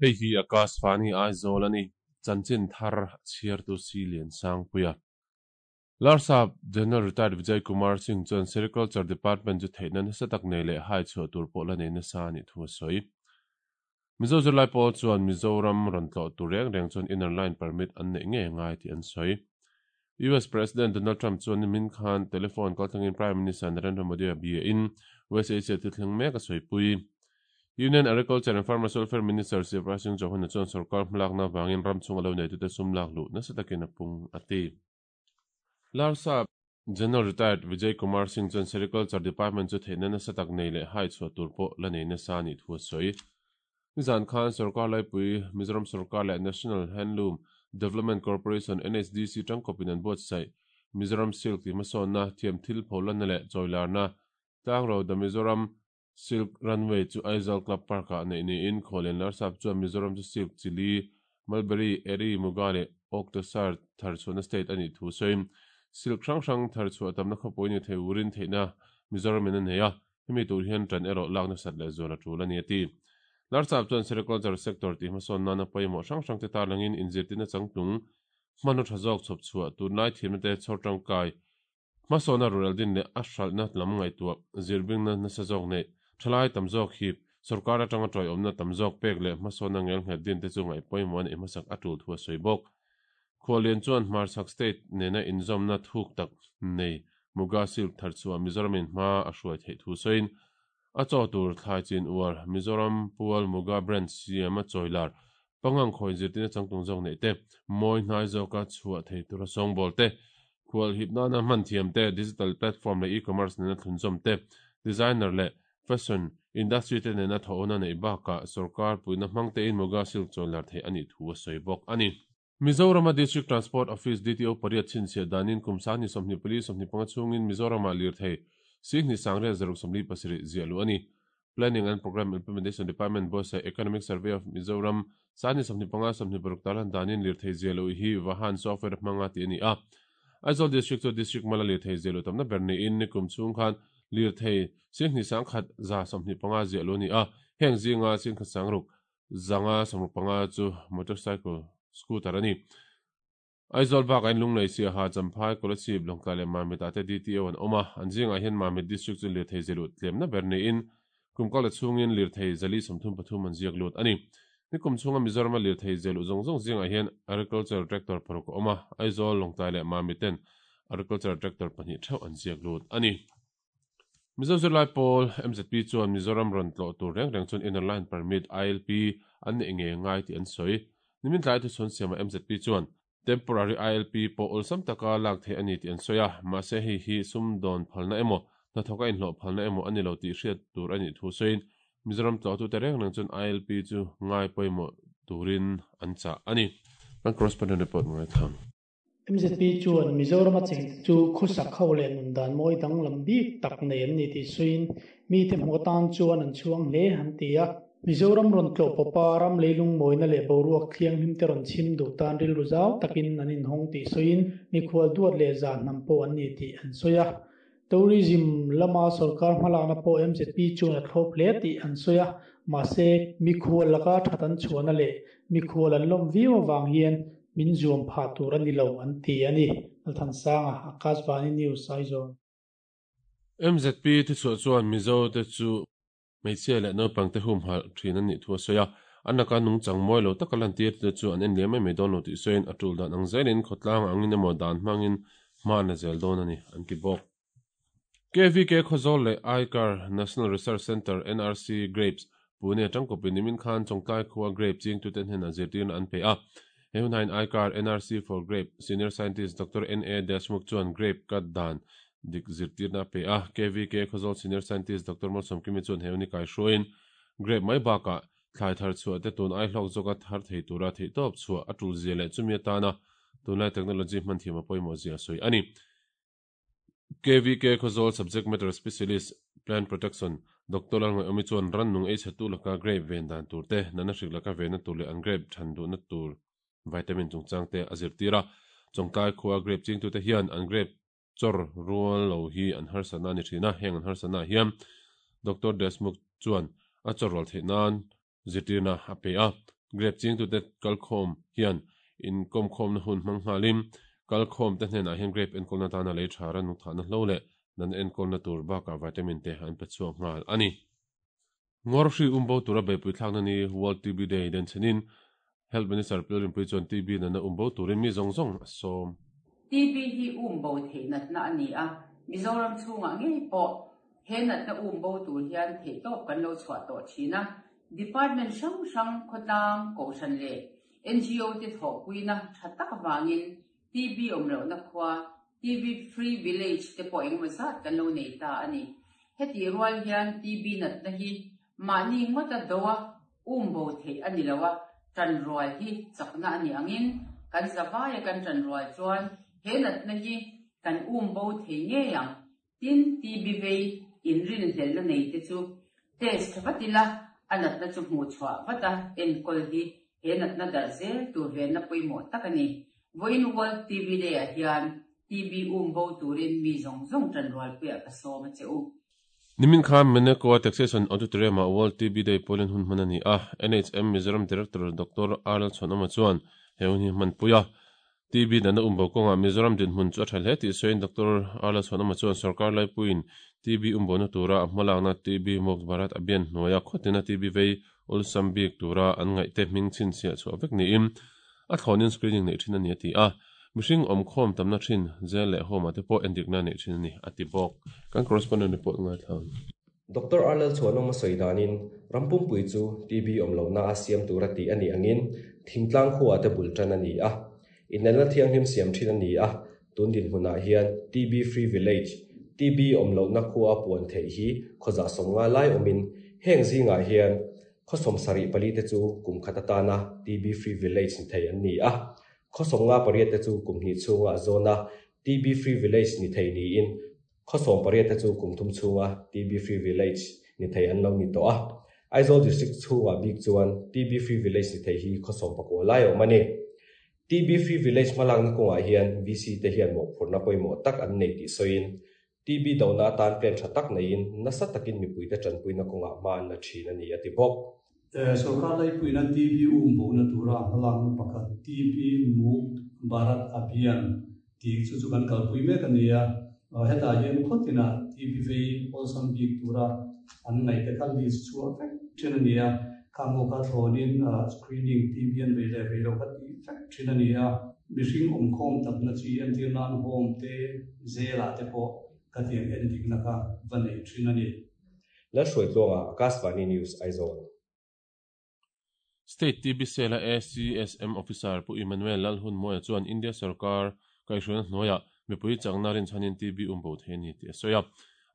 Hei hi Akashvani Aizawl a ni, chanchin thar chhiartu si Liansangpuia. Larsap General Retired Vijay Kumar Singh chuan Sericulture Department chu theihna nasa tak nei leh hai chhuah tur pawh la nei nasa a nih thu a sawi. Mizo zirlai pawl chuan Mizoram rawn tlawh tur reng reng chuan Inner Line Permit an neih ngei a ngai tih an sawi. US President Donald Trump chuan nimin khan telephone kaltlangin Prime Minister Narendra Modi a bia in West Asia thil thleng mek a sawipui. Union Agriculture and Farmers Welfare Minister Shivraj Singh Chauhan-a chuan sorkar hmalakna avangin ram chhunga lo neitute sum lak luh nasa takin a pung a ti. Larsa General Retired Vijay Kumar Singh chuan Sericulture Department chu theihna nasa tak nei leh hai chhuah tur pawh la nei nasa a nih thu a sawi. Nizan khan sorkar laipui Mizoram sorkar leh National Handloom Development Corporation, NHDC, tangkawpin an buatsaih Mizoram Silk tih hmasawnna, thiamthil pholanna leh chawilarna tlangro The Mizoram Silk Runway chu Aizawl Club Park-ah neih niin Khawlian Larsap chuan Mizoram chu silk chili, mulberry, eri, muga leh oak tasar thar chhuahna state a nih thu sawiin silk hrang hrang thar chhuah tamna khawpui ni thei urin theihna Mizoramin a nei a, hemi tur hian ṭan erawh lak nasat leh zual a ṭul a ni a ti. Larsap chuan sericulture sector tih hmasawn nana pawimawh hrang hrangte tarlangin inzirtirna changtlung hmanraw ṭha zawk chhawp chhuah tunlai thiamna te chhawr ṭangkai Hmasawnna rural din leh a hralhna lam ngaihtuah zirbingna nasa zawk neih, thalai tam zawk hip, sorkar atanga tawiawmna tam zawk pek leh hmasawnna ngelnghet din te chu ngaih pawimawh a neih hmasak a tul thu a sawi bawk. Khuallian chuan hmarchhak state nena inzawmna thuk tak nei Muga Silk thar chhuah Mizoramin hma a hruai theih thu sawiin, a chaw tur thlai chin uar Mizoram pual Muga brand siam a chawilar Pangang khawi zirtirna changtlung zawk neih te, mawi hnai zawka chhuah thei tura sawngbawl te, khual hip nana hman thiam te, digital platform leh e-commerce nena thlunzawm te, designer leh fashion industry te nena thawhawna neih bakah sorkar puihna hmang tein Muga Silk chawilar theih a nih thu a sawi bawk a ni. Mizorama District Transport Office, DTO, pariat chhinchhiah danin kum sangni 24 25 chhungin Mizoramah lirthei Sihni Sangriat zaruk 47 ziah luh a ni. Planning and Programme Implementation Department buatsaih Economic Survey of Mizoram sangni 25 26 tarlan danin lirthei ziah luh hi Vahan software hmanga tih a ni a. Aizawl District chu District mala lirthei ziah luh tamna ber niin nikum chhung khan lirthei Sihni Sangkhat 125 ziah luh a ni a, heng zinga Singkhat Sangruk Zanga 65 chu motorcycle, scooter a ni. Aizawl bakah hian Lunglei, Siaha, Champhai, Kolasib, Lawngtlai leh Mamit ah te DTO an awm a. An zingah hian Mamit District chu lirthei zialut tlemna ber niin kum kal ta chhungin lirthei zali 33 an ziak lut a ni. Nikum chhunga Mizorama lirthei zialuh zawng zawng zingah hian Agriculture Tractor paruk a awm a, Aizawl, Lawngtlai leh Mamit ten Agriculture Tractor pahnih theuh an ziak lut a ni. Mizo zirlai pawl mzp chuan Mizoram rawn tlawh tur reng reng chuan Inner Line Permit, ILP, an neih ngei ngai tih an sawi. Nimin tlai thuchhawn siamah mzp chuan Temporary ILP pawh awlsam taka lak theih a ni tih an sawi a, mahse hei hi sumdawn phalna emaw, hnathawka inhlawh phalna emaw a ni lo tih hriat tur a nih thu sawiin Mizoram tlawhtute reng reng chuan ILP chu ngai pawimawh turin an chah a ni. Kan correspondent report ngaithla. MZP chuan Mizorama chengte chu khawsak ho leh nun dan mawi danglam bik tak nei an ni tih sawiin mite hmuh atan chuan an chhuang hle an ti a. Mizoram rawn tlawh pawpa ram leilung mawina leh boruak thianghlim te rawn chhim duh tan rilru zau takin an inhawng tih sawiin mikhual duat leh zah hnam pawh an ni tih an sawi a. Tourism lama sorkar hmalakna pawh MZP chuan a thlawp hle tih an sawi a, mahse mikhual laka that an chhuahna leh mikhual an lawm viau avang hian min zuam phah tur a ni lo an ti a ni. Lalthansanga, Akashvani News, Aizawl. MZP thuchhuah chuan Mizo te chu hmeichhia leh naupang te humhalh thin an nih thu a sawi a, an laka nungchang mawi lo taka lantir te chu an en liam mai mai dawn lo tih sawiin a tul dan ang zelin khawtlang angin emaw dan hmangin hma an la zel dawn a ni an ti bawk. KVK Khawzawl leh ICAR National Research Centre, NRC, Grapes, Pune atangkawpin nimin khan Chawngtlai khua grape chingtute hnenah zirtirna an pe a. He hunah ICAR NRC for Grape Senior Scientist Doctor NA Deshmukh chuan grape cut dan dik zirtirna a pe a. KVK Khawzawl Senior Scientist Doctor Malsawmkimi chuan he hun hi kaihruaiin grape mai bakah thlai thar chhuah te tun ai hlawk zawka thar thei tura theihtawp chhuah a tul zia leh chumi atana tunlai technology hman thiam a pawimawh zia a sawi a ni. KVK Khawzawl Subject Matter Specialist, Plant Protection, Doctor Lalngaihawmi chuan rannung ei chhetu laka grape ven dan tur te, natna hrik laka venna tur leh an grape than duhna tur vitamin chungchang te a zirtir a. Chawngtlai khua grape chingtute hian an grape chawr rual lo hi an harsatna a ni thin a, heng an harsatnaah hian Doctor Deshmukh chuan a chawr rual theih nan zirtirna a pe a. Grape chingtute kalkhawm hian inkawmkhawmna hun hmang nghalin kalkhawmte hnenah hian grape enkawlna atana lei tha ranung thahna hlo leh natna enkawlna tur bakah vitamin te an pe chhuak nghal a ni. Ngawr hri umbo tura beihpui thlakna ni World TB Day denchhenin Health Minister Pil Rinpui chuan TB natna umbo turin mi zawng zawng a sawm. TB hi umbo theih natna a ni a, Mizoram chhungah ngei pawh he natna umbo tur hian theihtawp kan lo chhuah tawh thin a, Department hrang hrang, khawtlang, kohhran leh NGO te thawhpuina tha tak avangin TB awm lohna khua, TB Free Village te pawh engemaw zat kan lo nei ta a ni. Hetih rual hian TB natna hi mahni ngawta doa um bo theih a ni lo a, tanrual hi chakna a nih angin kan zavaia kan tanrual chuan he natna hi kan um bo thei ngei ang. Tin, TB vei inrinhlelhna nei te chu test vat ila a natna chu hmuh chhuah vat a enkawl hi he natna darh zel tur venna pawimawh tak a ni. Vawiin World TB Day ah hian TB um bo turin mi zawng zawng tanrualpuiah ka sawm a che u. Nimin khan Menecoa Taxation Auditorium ah World TB Day pualin hun hman a ni a, NHM Mizoram Director Doctor R Lalchhuanawma chuan he hun hi hmanpui a. TB natna umbo kawngah Mizoram dinhmun chu a tha hle tih sawiin Doctor R Lalchhuanawma chuan sorkar laipuiin TB umbona tura a hmalakna TB Mukt Bharat Abhiyan hnuaia khawtina TB vei awlsam bik tura an ngaihte hming chhinchhiah chhuah vek niin a thlawnin screening neih thin a ni a ti a. Mihring awmkhawm tamna thin jail leh home ah te pawh endikna neih thin a ni a ti bawk. Kan correspondent report ngaithla ang. Doctor Arlel Chhuanawma sawi danin ram pumpui chu TB awm lohna a siam tura tih a nih angin thingtlang khuaah te bul tan a ni a. Inelna thianghlim siam thin a ni a, tun dinhmunah hian TB Free Village, TB awm lohna khua puan theih hi khawzah 50 lai awmin heng zingah hian khaw 74 te chu kum khat atana TB Free Village ni thei an ni a. Khaw 58 te chu kum hnih chhunga zawna TB Free Village ni thei niin khaw 18 te chu kum thum chhunga TB Free Village ni thei an lo ni tawh a. Aizawl District chhungah bik chuan TB Free Village ni thei hi khaw 19 lai a awm a ni. TB Free Village hmalakna kawngah hian VC te hian mawhphurhna pawimawh tak an nei tih sawiin TB dohna atan plan tha tak neiin nasa takin mipuite tanpuina kawngah hma an la thin a ni a ti bawk. Sorkar laipuina TB umbohna tura hmalakna pakhat TB Mukt Bharat Abhiyan tih chu chu kan kalpui mek a ni a. Hetah hian khawtinah TB vei awlsam bik tura an ngaihte kha list chhuah vek thin a ni a. Khang ho kha thlawnin screening TB an vei leh vei lo kha tih vek thin a ni a. Mihring awmkhawm takna chi entir nan home te, zelah te pawh khatiang endikna kha va nei thin a ni. Lalhruaitluanga, Akashvani News, Aizawl. State TB Cell-a ACSM Officer Pu Emmanuel Lalhunmawia chuan India sorkar kaihhruaina hnuaiah mipui chakna rinchhanin TB umbo thei a ni tih a sawi a.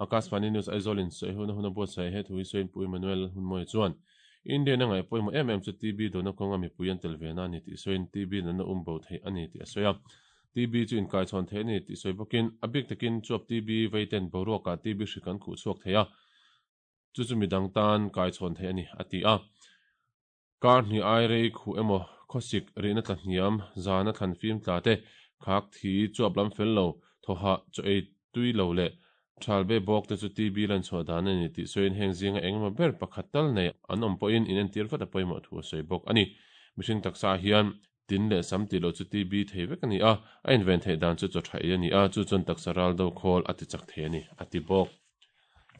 Akashvani News Aizawl-in sawihona hun a buatsaih he thu hi sawiin Pu Emmanuel Lalhunmawia chuan India-in a ngaih pawimawh em em chu TB dawhna kawnga mipui an tel ve na a ni tih sawiin TB natna umbo theih a ni tih a sawi a. TB chu inkaichhawn theih a ni tih sawi bawkin a bik takin chuap TB veiten boruakah TB hrik an khuh chhuak thei a. Chu chu midang tan kaichhawn theih a ni, a ti a. Kar hnih ai rei khuh emaw, khawsik rihna tla hniam, zana thlan fim tla te, khak thi, chuap lam fel lo, thawhah, chaw ei tui lo leh thal be bawk te chu TB lan chhuah dan a ni tih sawiin heng zinga eng emaw ber pakhat tal nei an awm pawhin inentir vat a pawimawh thu a sawi bawk a ni. Mihring taksa hian tin leh sam tih loh chu TB thei vek a ni a, a inven theih dan chu chaw tha ei a ni a, chu chuan taksa ral do khawl a ti chak thei a ni, a ti bawk.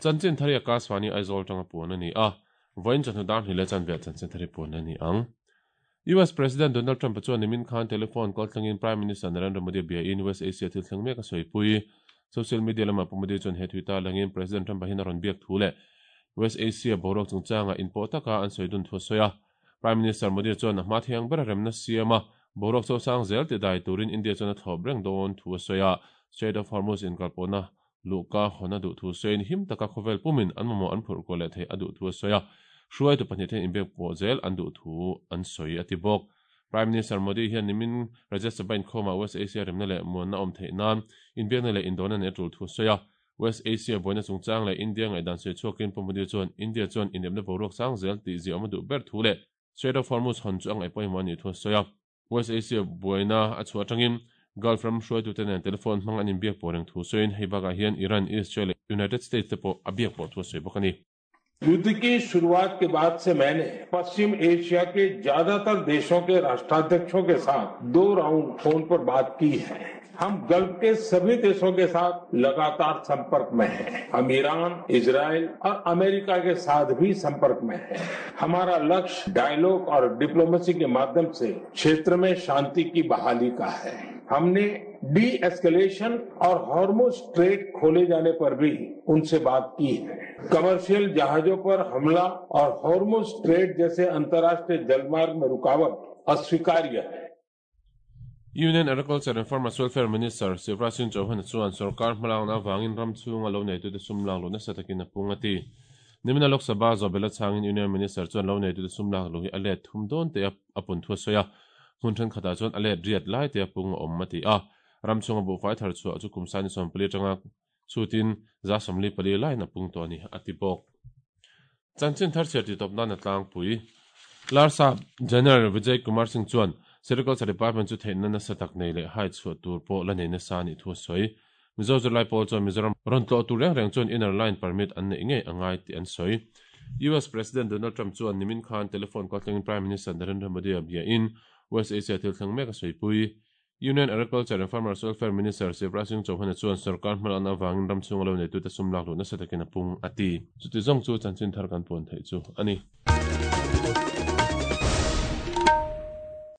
Chanchin thar hi Akashvani Aizawl tanga puan a ni a, vawiin chawhnu dar hnih leh chanve ah chanchin thar hi puan a ni ang. US President Donald Trump-a chuan nimin khan telephone call thlengin Prime Minister Narendra Modi a biain West Asia thil thleng mek a sawipui. Social media lamah Pu Modi chuan he thui ta langin President Trump-a hian a rawn biak thu leh West Asia boruak chungchanga inpawh taka an sawi dun thu a sawi a. Prime Minister Modi chuan a hma thiang ber a remna siam a, boruak chosang zel ti dai turin India chuan a thlawp reng dawn thu a sawi a. Strait of Hormuz inkalpawhna luhka hawn a duh thu sawiin him taka khawvel pumin an mamawh an phurh kuah leh theih a duh thu a sawi a, hruaitu pahnih ten inbiak pawh zel an duh thu an sawi a ti bawk. Prime Minister Modi hian nimin Rajya Sabha inkhawmah West Asia remna leh muanna awm theih nan inbiakna leh indawhna neih a tul thu a sawi a. West Asia buaina chungchang leh India ngaihdan sawi chhuakin Pu Modi chuan India chuan inepna boruak sang zel tih ziaawm a duh ber thu leh Strait of Hormuz hawn chu a ngaih pawimawh a nih thu a sawi a. West Asia buaina a chhuah atangin Gulf ram hruaitute nen telephone hmang an inbiak pawh reng thu sawiin hei bakah hian Iran, Israel leh United States te pawh a biak pawh thu a sawi bawk a ni. युद्ध की शुरुआत के बाद से मैंने पश्चिम एशिया के ज्यादातर देशों के राष्ट्राध्यक्षों के साथ दो राउंड फोन पर बात की है। हम गल्फ के सभी देशों के साथ लगातार संपर्क में हैं। हम ईरान, इजराइल और अमेरिका के साथ भी संपर्क में हैं। हमारा लक्ष्य डायलॉग और डिप्लोमेसी के माध्यम से क्षेत्र में शांति की बहाली का है। हमने डी एस्केलेशन और हॉर्मुज स्ट्रेट खोले जाने पर भी उनसे बात की है। कमर्शियल जहाजों पर हमला और हॉर्मुज स्ट्रेट जैसे अंतर्राष्ट्रीय जलमार्ग में रुकावट अस्वीकार्य है। Union Agriculture and Farmers Welfare Minister Shivraj Singh Chauhan chuan sorkar hmalakna avangin ram chhunga lo neitute sum lak luh nasa takin a pung a ti. Nimina Lok Sabha zawhbel a chhangin Union Minister chuan lo neitute sum lak luh hi a let thum dawn teh a pun thu a sawi a, hmun thenkhatah chuan a let riat lai teh a pung a awm a ti a. Ram chhunga buhfai thar chhuah chu kum sani 14 atanga chhutin 44 laiin a pung tawh a ni, a ti bawk. Chanchin thar chhiar titawp nan a tlangpui. Larsap General Vijay Kumar Singh chuan Sericulture Department chu theihna nasa tak nei leh hai chhuah tur pawh la nei nasa a nih thu a sawi. Mizo zirlai pawl chuan Mizoram rawn tlawh tur reng reng chuan inner line permit an neih ngei a ngai tih an sawi. US President Donald Trump chuan nimin khan telephone kaltlangin Prime Minister Narendra Modi a biain West Asia thil thleng mek a sawipui. Union Agriculture and Farmers Welfare Minister Shivraj Singh Chauhan-a chuan sorkar hmalakna avangin ram chhunga lo neitute sum lak luh nasa takin a pung, a ti. Chuti zawng chu chanchin thar kan puan theih chu a ni.